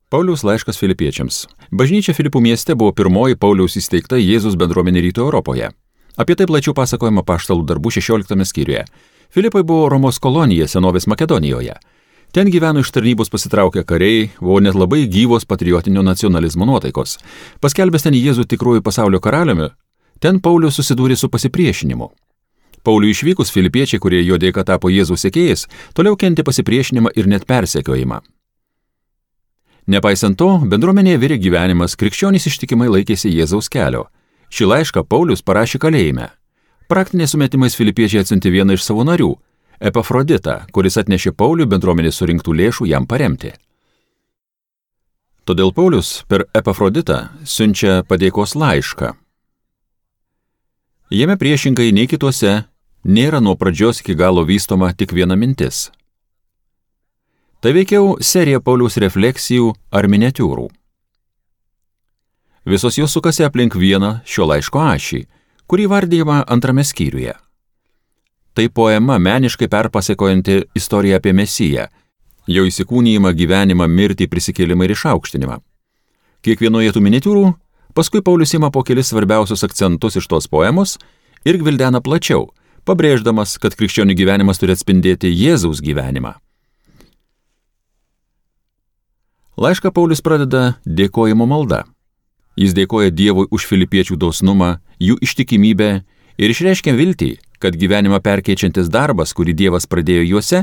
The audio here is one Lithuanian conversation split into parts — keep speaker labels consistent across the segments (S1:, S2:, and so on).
S1: Pauliaus laiškas Filipiečiams. Bažnyčia Filipų mieste buvo pirmoji Pauliaus įsteigta Jėzus bendruomenė Rytų Europoje. Apie tai plačiau pasakojama Apaštalų darbų 16 skyriuje. Filipai buvo Romos kolonija senovės Makedonijoje. Ten gyveno iš tarnybos pasitraukę kariai, buvo net labai gyvos patriotinio nacionalizmo nuotaikos. Paskelbęs ten Jėzų tikruoju pasaulio karaliumi, ten Paulius susidūrė su pasipriešinimu. Pauliui išvykus filipiečiai, kurie jo dėka tapo Jėzaus sekėjais, toliau kentė pasipriešinimą ir net persekiojimą. Nepaisant to, bendruomenėje virė gyvenimas, krikščionys ištikimai laikėsi Jėzaus kelio. Šį laišką Paulius parašė kalėjime. Praktiniais sumetimais filipiečiai atsiuntė vieną iš savo narių, Epafroditą, kuris atnešė Pauliui bendruomenės surinktų lėšų jam paremti. Todėl Paulius per Epafroditą siunčia padėkos laišką. Jame priešingai nei kituose nėra nuo pradžios iki galo vystoma tik viena mintis. Tai veikiau serija Pauliaus refleksijų ar miniatiūrų. Visos jos sukasi aplink vieną šio laiško ašį, kurį vardijama antrame skyriuje. Tai poema meniškai perpasakojanti istoriją apie Mesiją, jo įsikūnijimą, gyvenimą, mirtį, prisikėlimą ir išaukštinimą. Kiekvienoje tų miniatiūrų paskui Paulius ima po kelis svarbiausius akcentus iš tos poemos ir gvildena plačiau, pabrėždamas, kad krikščionių gyvenimas turi atspindėti Jėzaus gyvenimą. Laišką Paulius pradeda dėkojimo malda. Jis dėkoja Dievui už filipiečių dosnumą, jų ištikimybę ir išreiškia viltį, kad gyvenimą perkeičiantis darbas, kurį Dievas pradėjo juose,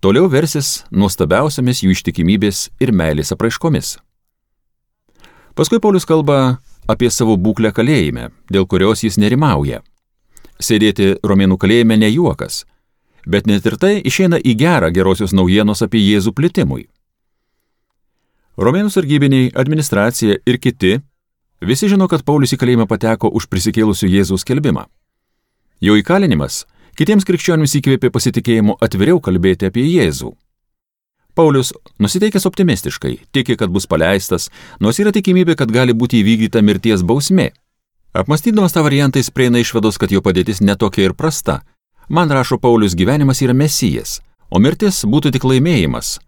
S1: toliau versis nuostabiausiamis jų ištikimybės ir meilės apraiškomis. Paskui Paulius kalba apie savo būklę kalėjime, dėl kurios jis nerimauja. Sėdėti Romėnų kalėjime ne juokas, bet net ir tai išeina į gerą gerosios naujienos apie Jėzų plitimui. Romėnų sargybiniai, administracija ir kiti visi žino, kad Paulius į kalėjimą pateko už prisikėlusių Jėzaus skelbimą. Jo įkalinimas kitiems krikščionims įkvėpė pasitikėjimu atviriau kalbėti apie Jėzų. Paulius, nusiteikęs optimistiškai, tiki, kad bus paleistas, nors yra tikimybė, kad gali būti įvykdyta mirties bausmė. Apmąstydamas tą variantą jis prieina išvados, kad jo padėtis netokia ir prasta. Man, rašo Paulius, gyvenimas yra Mesijas, o mirtis būtų tik laimėjimas.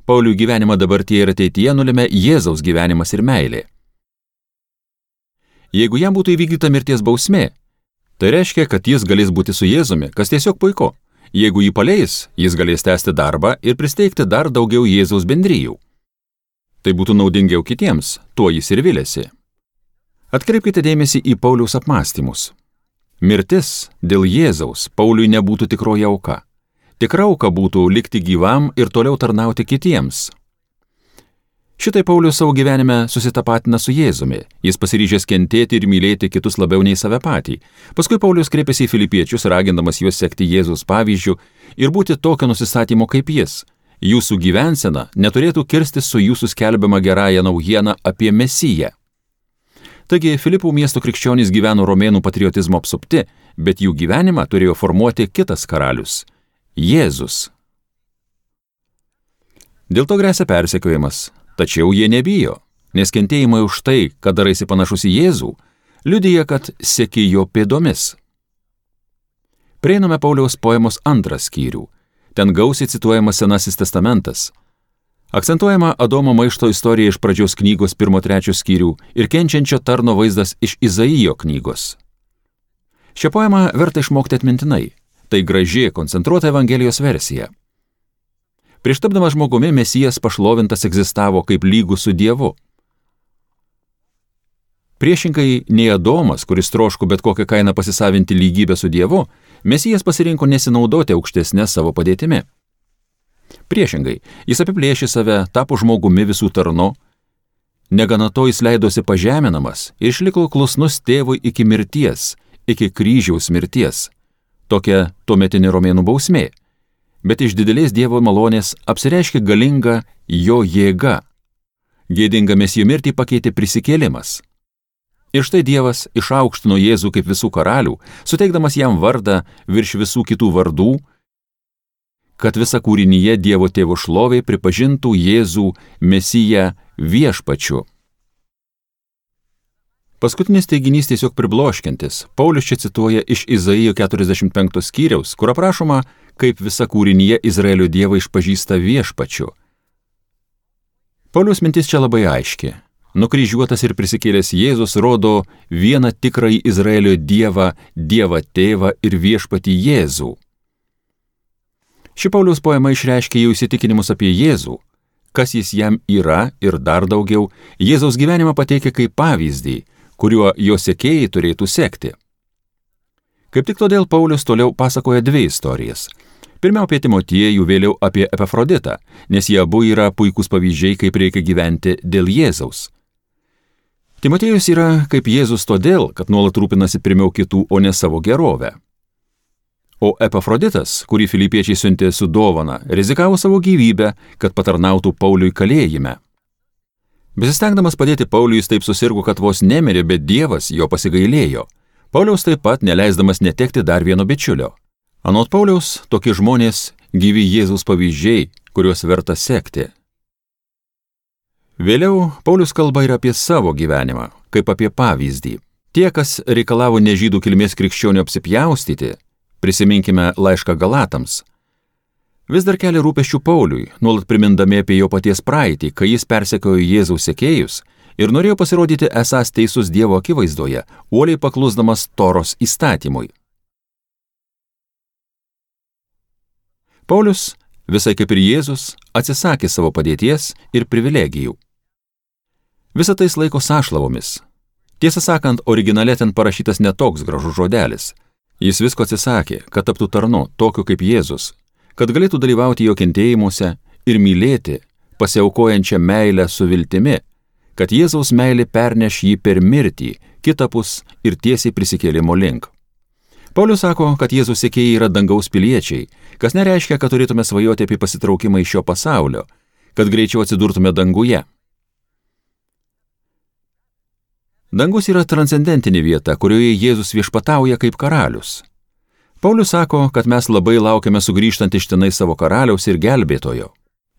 S1: Pauliui gyvenimą dabartyje ir ateityje nulėmė Jėzaus gyvenimas ir meilė. Jeigu jam būtų įvykdyta mirties bausmė, tai reiškia, kad jis galės būti su Jėzumi, kas tiesiog puiku. Jeigu jį paleis, jis galės tęsti darbą ir pristeigti dar daugiau Jėzaus bendrijų. Tai būtų naudingiau kitiems, tuo jis ir vilėsi. Atkreipkite dėmesį į Pauliaus apmąstymus. Mirtis dėl Jėzaus Pauliui nebūtų tikroji auka. Tikra auka būtų likti gyvam ir toliau tarnauti kitiems. Šitai Paulius savo gyvenime susitapatina su Jėzumi. Jis pasiryžęs kentėti ir mylėti kitus labiau nei save patį. Paskui Paulius kreipiasi į filipiečius, ragindamas juos sekti Jėzaus pavyzdžiu ir būti tokio nusistatymo kaip jis. Jūsų gyvensena neturėtų kirstis su jūsų skelbiama gerąja naujiena apie Mesiją. Taigi Filipų miesto krikščionys gyveno romėnų patriotizmo apsupti, bet jų gyvenimą turėjo formuoti kitas karalius – Jėzus. Dėl to gresia persekiojimas. Tačiau jie nebijo, nes kentėjimai už tai, kad daraisi panašus į Jėzų, liudija, kad seki jo pėdomis. Prieiname Pauliaus poemos antrą skyrių. Ten gausiai cituojamas Senasis testamentas. Akcentuojama Adomo maišto istorija iš pradžios knygos 1-3 skyrių ir kenčiančio tarno vaizdas iš Izaijo knygos. Šią poemą verta išmokti atmintinai. Tai graži, koncentruota Evangelijos versija. Prieš tapdamas žmogumi Mesijas pašlovintas egzistavo kaip lygus su Dievu. Priešingai nei Adomas, kuris troško bet kokią kainą pasisavinti lygybę su Dievu, Mesijas pasirinko nesinaudoti aukštesnę savo padėtimi. Priešingai, jis apiplėšė save, tapo žmogumi visų tarnu, negana to jis leidosi pažeminamas ir išliko klusnus tėvui iki mirties, iki kryžiaus mirties. Tokia tuometinė romėnų bausmė. Bet iš didelės Dievo malonės apsireiškė galinga jo jėga. Gėdingą Mesijo mirtį pakeitė prisikėlimas. Ir štai Dievas išaukštino Jėzų kaip visų karalių, suteikdamas jam vardą virš visų kitų vardų, kad visa kūrinyje Dievo tėvo šlovė pripažintų Jėzų Mesiją viešpačiu. Paskutinis teiginys tiesiog pribloškiantis. Paulius čia cituoja iš Izaijo 45 skyriaus, kur aprašoma, kaip visa kūrinyje Izraelio Dievą išpažįsta viešpačiu. Pauliaus mintis čia labai aiški. Nukryžiuotas ir prisikėlęs Jėzus rodo vieną tikrąjį Izraelio Dievą, Dievą Tėvą ir Viešpatį Jėzų. Ši Pauliaus poema išreiškia jau įsitikinimus apie Jėzų, kas jis jam yra ir dar daugiau, Jėzaus gyvenimą pateikia kaip pavyzdį, kuriuo jo sekėjai turėtų sekti. Kaip tik todėl Paulius toliau pasakoja dvi istorijas. Pirmiau apie Timotiejų, vėliau apie Epafroditą, nes jie abu yra puikūs pavyzdžiai, kaip reikia gyventi dėl Jėzaus. Timotiejus yra kaip Jėzus todėl, kad nuolat rūpinasi pirmiau kitų, o ne savo gerovę. O Epafroditas, kurį filipiečiai siuntė su dovana, rizikavo savo gyvybę, kad patarnautų Pauliui kalėjime. Besistengdamas padėti Pauliui, jis taip susirgo, kad vos nemirė, bet Dievas jo pasigailėjo. Pauliaus taip pat neleisdamas netekti dar vieno bičiulio. Anot Pauliaus, tokie žmonės gyvi Jėzaus pavyzdžiai, kuriuos verta sekti. Vėliau Paulius kalba ir apie savo gyvenimą, kaip apie pavyzdį. Tie, kas reikalavo nežydų kilmės krikščionių apsipjaustyti, prisiminkime laišką Galatams, vis dar kelia rūpesčių Pauliui, nuolat primindami apie jo paties praeitį, kai jis persekiojo Jėzaus sekėjus ir norėjo pasirodyti esąs teisus Dievo akivaizdoje, uoliai paklusdamas Toros įstatymui. Paulius, visai kaip ir Jėzus, atsisakė savo padėties ir privilegijų. Visą tai laiko sąšlavomis. Tiesą sakant, originale ten parašytas netoks gražus žodelis. Jis visko atsisakė, kad taptų tarnu, tokiu kaip Jėzus, kad galėtų dalyvauti jo kentėjimuose ir mylėti, pasiaukojančią meilę su viltimi, kad Jėzaus meilė perneš jį per mirtį, kitapus ir tiesiai prisikėlimo link. Paulius sako, kad Jėzaus sekėjai yra dangaus piliečiai, kas nereiškia, kad turėtume svajoti apie pasitraukimą iš šio pasaulio, kad greičiau atsidurtume danguje. Dangus yra transcendentinė vieta, kurioje Jėzus viešpatauja kaip karalius. Paulius sako, kad mes labai laukiame sugrįžtant iš tenai savo karaliaus ir gelbėtojo.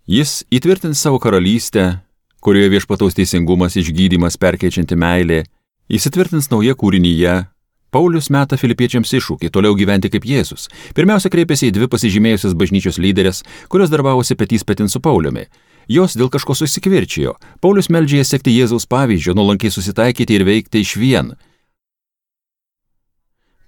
S1: Jis įtvirtins savo karalystę, kurioje viešpataus teisingumas, išgydymas, perkeičianti meilė, įsitvirtins nauja kūrinyje. Paulius meta filipiečiams iššūkį toliau gyventi kaip Jėzus. Pirmiausia kreipėsi į dvi pasižymėjusias bažnyčios lyderės, kurios darbavosi petys petin su Pauliumi. Jos dėl kažko susikvirčijo. Paulius meldžia jas sekti Jėzaus pavyzdžio, nuolankiai susitaikyti ir veikti išvien.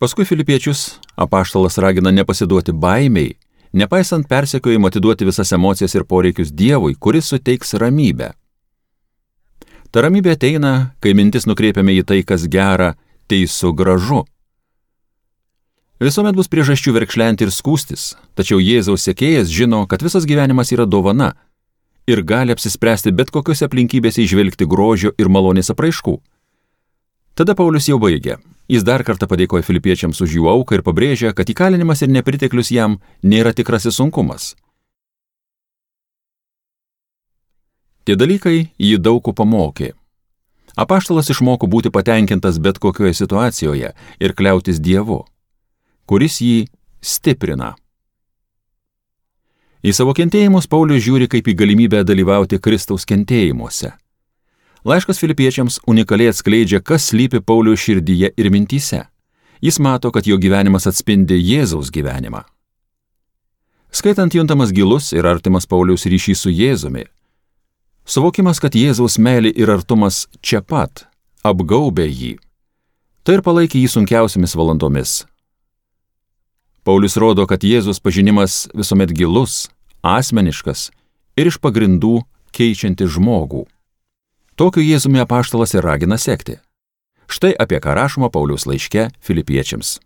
S1: Paskui filipiečius apaštalas ragina nepasiduoti baimei, nepaisant persekiojimo atiduoti visas emocijas ir poreikius Dievui, kuris suteiks ramybę. Ta ramybė ateina, kai mintis nukreipiame į tai, kas gera, teisu, gražu. Visuomet bus priežasčių verkšlenti ir skųstis, tačiau Jėzaus sekėjas žino, kad visas gyvenimas yra dovana ir gali apsispręsti bet kokiose aplinkybėse įžvelgti grožio ir malonės apraiškų. Tada Paulius jau baigia. Jis dar kartą padėkoja filipiečiams už jų auką ir pabrėžia, kad įkalinimas ir nepriteklius jam nėra tikrasis sunkumas. Tie dalykai jį daug ko pamokė. Apaštalas išmoko būti patenkintas bet kokioje situacijoje ir kliautis Dievu, kuris jį stiprina. Į savo kentėjimus Paulius žiūri kaip į galimybę dalyvauti Kristaus kentėjimuose. Laiškas filipiečiams unikaliai atskleidžia, kas slypi Pauliaus širdyje ir mintyse. Jis mato, kad jo gyvenimas atspindi Jėzaus gyvenimą. Skaitant juntamas gilus ir artimas Pauliaus ryšys su Jėzumi. Suvokimas, kad Jėzaus meilė ir artumas čia pat apgaubė jį. Tai ir palaikė jį sunkiausiamis valandomis. Paulius rodo, kad Jėzus pažinimas visuomet gilus, asmeniškas ir iš pagrindų keičiantis žmogų. Tokiu Jėzumi apaštalas ir ragina sekti. Štai apie ką rašoma Pauliaus laiške filipiečiams.